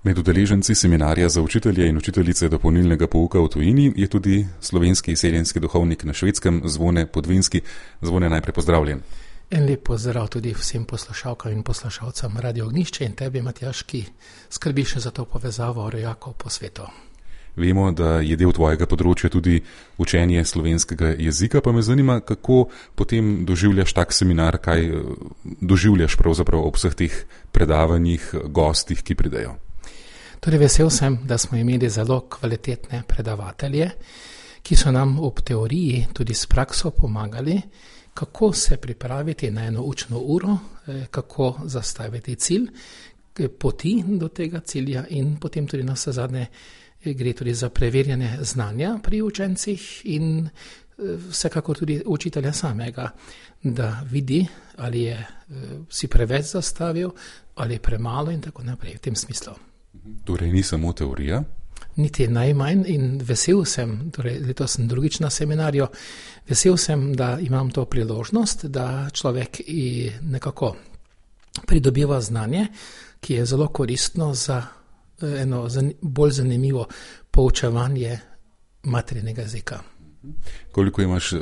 Med udeleženci seminarja za učitelje in učiteljice dopolnilnega pouka v tujini je tudi slovenski izseljenski duhovnik na Švedskem Zvone Podvinski. Zvone, najprej pozdravljen. En lep pozdrav tudi vsem poslušalkam in poslušalcem Radio Ognjišče in tebi, Matjaž, ki skrbiš za to povezavo rojakov po svetu. Vemo, da je del tvojega področja tudi učenje slovenskega jezika, pa me zanima, kako potem doživljaš tak seminar, kaj doživljaš pravzaprav ob vseh teh predavanjih, gostih, ki pridejo. Torej vesel sem, da smo imeli zelo kvalitetne predavatelje, ki so nam ob teoriji tudi s prakso pomagali, kako se pripraviti na eno učno uro, kako zastaviti cilj, poti do tega cilja in potem tudi na vse zadnje gre tudi za preverjanje znanja pri učencih in vsekakor tudi učitelja samega, da vidi, ali je si preveč zastavil, ali je premalo in tako naprej v tem smislu. Torej ni samo teorija? Niti najmanj in vesel sem, torej letos sem drugič na seminarju, vesel sem, da imam to priložnost, da človek nekako pridobiva znanje, ki je zelo koristno za eno bolj zanimivo poučevanje materinega jezika. Koliko imaš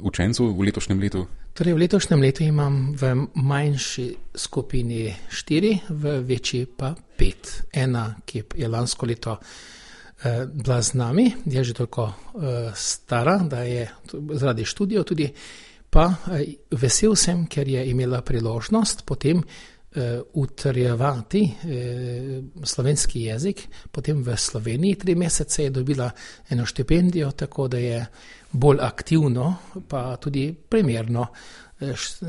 učencev v letošnjem letu? Torej v letošnjem letu imam v manjši skupini 4, v večji pa 5. Ena, ki je lansko leto bila z nami, je že toliko stara, da je zaradi študijev tudi, pa vesel sem, ker je imela priložnost potem utrjevati slovenski jezik, potem v Sloveniji 3 mesece je dobila eno štipendijo, tako da je bolj aktivno, pa tudi primerno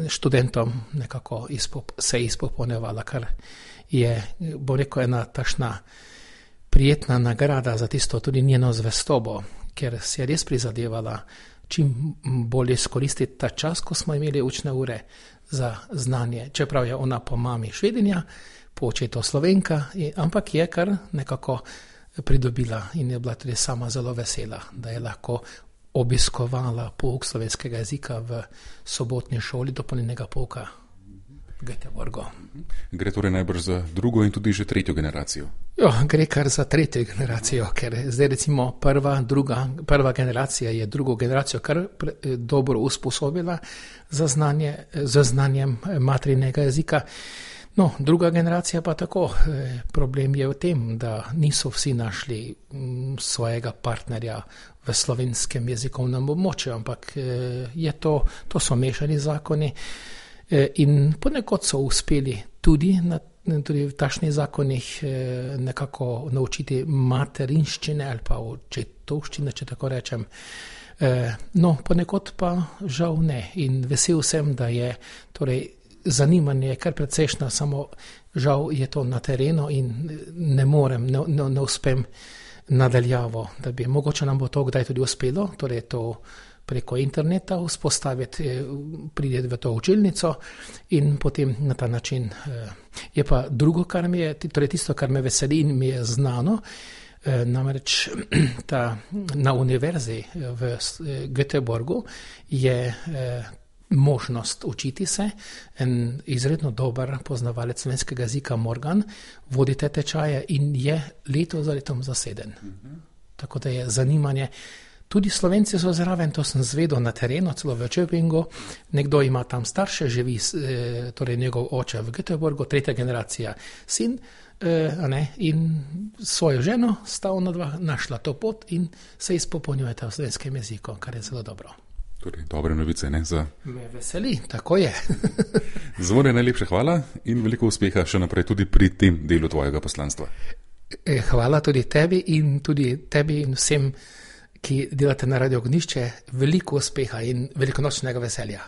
študentom nekako se izpopolnjevala, kar je, bo rekel, ena tašna prijetna nagrada za tisto tudi njeno zvestobo, ker se je res prizadevala čim bolj izkoristiti ta čas, ko smo imeli učne ure za znanje, čeprav je ona po mami Švedinja, po očetu Slovenka, ampak je kar nekako pridobila in je bila tudi sama zelo vesela, da je lahko obiskovala pouk slovenskega jezika v sobotni šoli dopolnilnega pouka v Göteborgu. Gre torej najbrž za drugo in tudi že tretjo generacijo? Jo, gre kar za tretjo generacijo, ker zdaj recimo prva generacija je drugo generacijo kar dobro usposobila za znanjem materinega jezika. No, druga generacija pa tako. Problem je v tem, da niso vsi našli svojega partnerja v slovenskem jezikovnem območju, ampak to so mešani zakoni in ponekod so uspeli tudi v takšnih zakonih nekako naučiti materinščine ali pa očetovščine, če tako rečem. No, ponekod pa žal ne in vesel sem, da je torej zanimanje kar precejšnja, samo žal je to na terenu in ne uspem nadaljavo, da bi mogoče nam bo to kdaj tudi uspelo, torej to preko interneta vzpostaviti, priti v to učilnico in potem na ta način. Je pa drugo, kar mi je, torej tisto, kar me veseli in mi je znano, namreč na univerzi v Göteborgu je možnost učiti se. En izredno dober poznavalec slovenskega jezika Morgan vodi te tečaje in je leto za letom zaseden. Tako da je zanimanje. Tudi Slovenci so zraven, to sem zvedel na terenu, celo v Čepingu. Nekdo ima tam starše, živi, torej njegov oče v Göteborgu, 3. generacija sin, in svojo ženo sta onadva našla to pot in se izpopolnjujeta v slovenskem jeziku, kar je zelo dobro. Torej, dobre novice, ne? Me veseli, tako je. Zvone, najlepša hvala in veliko uspeha še naprej tudi pri tem delu tvojega poslanstva. Hvala tudi tebi in vsem, ki delate na Radio Ognjišče, veliko uspeha in velikonočnega veselja.